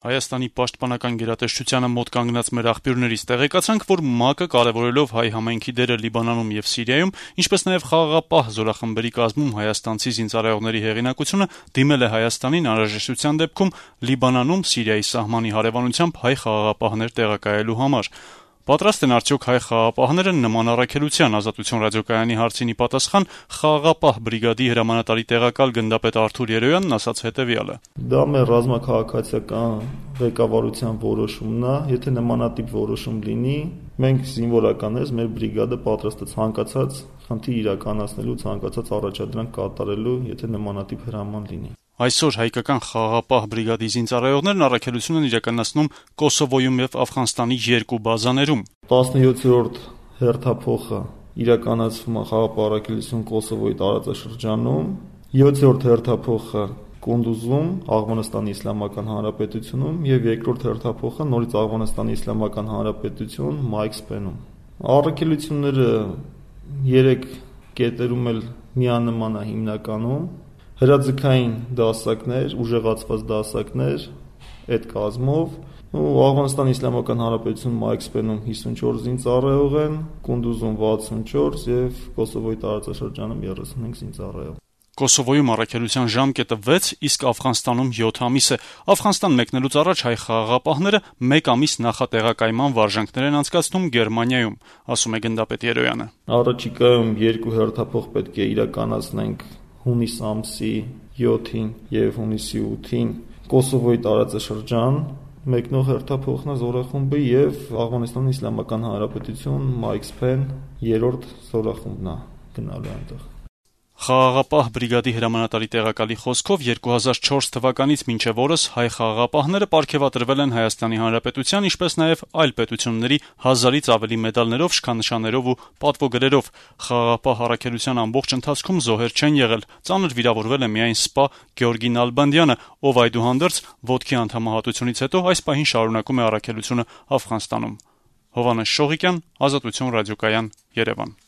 Հայաստանի պաշտպանական գերատեսչությանը մոտ կանգնած մեր աղբյուրներից տեղեկացանք, որ ՄԱԿ-ը կարևորելով հայ համայնքի դերը Լիբանանում եւ Սիրիայում, ինչպես նաեւ խաղաղապահ զորախմբերի կազմում հայաստանցի զինծառայողների հեղինակությունը դիմել է Հայաստանին անհրաժեշտության դեպքում Լիբանանում Սիրիայի սահմանի հարևանությամբ հայ խաղաղապահներ տեղակայելու համար։ Պատրաստ են արդյոք հայ խաղաղապահները նման առաքելության? Ազատություն ռադիոկայանի հարցին ի պատասխան խաղաղապահ բրիգադի հրամանատարի տեղակալ գնդապետ Արթուր Երոյանն ասաց հետեւյալը. Դա մեր ռազմաքաղաքացիական ղեկավարության որոշումն է, եթե նմանատիպ որոշում լինի, մենք զինվորականներս մեր բրիգադը պատրաստ է ցանկացած խնդիր իրականացնելու, ցանկացած առաջադրանք կատարելու, եթե նմանատիպ հրաման լինի։ Այսօր հայկական խաղաղապահ բրիգադի զինծառայողներն առաքելություն են իրականացնում Կոսովոյում եւ Աֆղանստանի երկու բազաներում։ 17-րդ հերթափոխը իրականացվում է խաղաղապահ առաքելություն Կոսովոյի տարածաշրջանում, 7-րդ հերթափոխը Կունդուզում, Աղվանստանի Իսլամական Հանրապետությունում եւ երկրորդ հերթափոխը նորից Աղվանստանի Իսլամական Հանրապետություն Մայքսպենում։ Առաքելությունները 3 կետերում էլ միանման է հիմնականում հրաձգային դասակներ, ուժեղացված դասակներ այդ կազմով, Աղվանստանի Իսլամական Հանրապետություն Մայքսպենում 54 զինծառայող են, Կունդուզում 64 եւ Կոսովոյի տարածաշրջանում 35 զինծառայող։ Կոսովոյում առաքելության ժամկետը 6, իսկ Աֆղանստանում 7 ամիս է։ Աֆղանստան մեկնելուց առաջ հայ խաղաղապահները 1 ամիս նախատեղակայման վարժանքներ են անցկացնում Գերմանիայում, ասում է գնդապետ Երոյանը։ Առաջիկայում 2 հերթափոխ պետք է իրականացնենք հունիս ամսի 7-ին եւ հունիսի 8-ին Կոսովոյի տարածաշրջան մեկնող հերթափոխն է զորախումբը եւ Աղվանստանի Իսլամական Հանրապետություն Մայքսպեն 3-րդ զորախումբն է գնալու այնտեղ։ Խաղաղապահ բրիգադի հրամանատարի տեղակալի խոսքով 2004 թվականից մինչև օրս հայ խաղաղապահները պարգևատրվել են Հայաստանի Հանրապետության, ինչպես նաև այլ պետությունների 1000-ից ավելի մեդալներով, շքանշաններով ու պատվոգրերով։ Խաղաղապահ առաքելության ամբողջ ընթացքում զոհեր չեն եղել։ Ծանր վիրավորվել է միայն սպա Գեորգի Նալբանդյանը, ով այդուհանդերձ ոտքի անդամահատությունից հետո այս պահին շարունակում է առաքելությունը Աֆղանստանում։ Հովհաննես Շողիկյան, Ազատություն ռադիոկայան, Երևան։